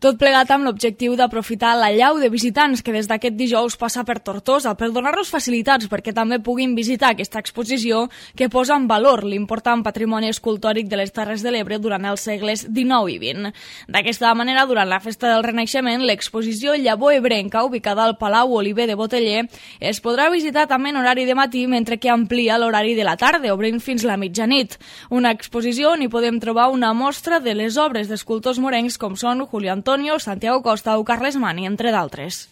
Tot plegat amb l'objectiu d'aprofitar l'allau de visitants que des d'aquest dijous passa per Tortosa per donar-los facilitats perquè també puguin visitar aquesta exposició que posa en valor l'important patrimoni escultòric de les Terres de l'Ebre durant els segles XIX i XX. D'aquesta manera, durant la Festa del Renaixement, l'exposició Llavor Ebrenca, ubicada al Palau Oliver de Boteller, es podrà visitar també en horari de matí, mentre que amplia l'horari de la tarda, obrint fins la mitjanit. Una exposició on hi podem trobar una mostra de les obres d'escultors morencs com són Julio Antonio, Santiago Costa o Carles Mani, entre d'altres.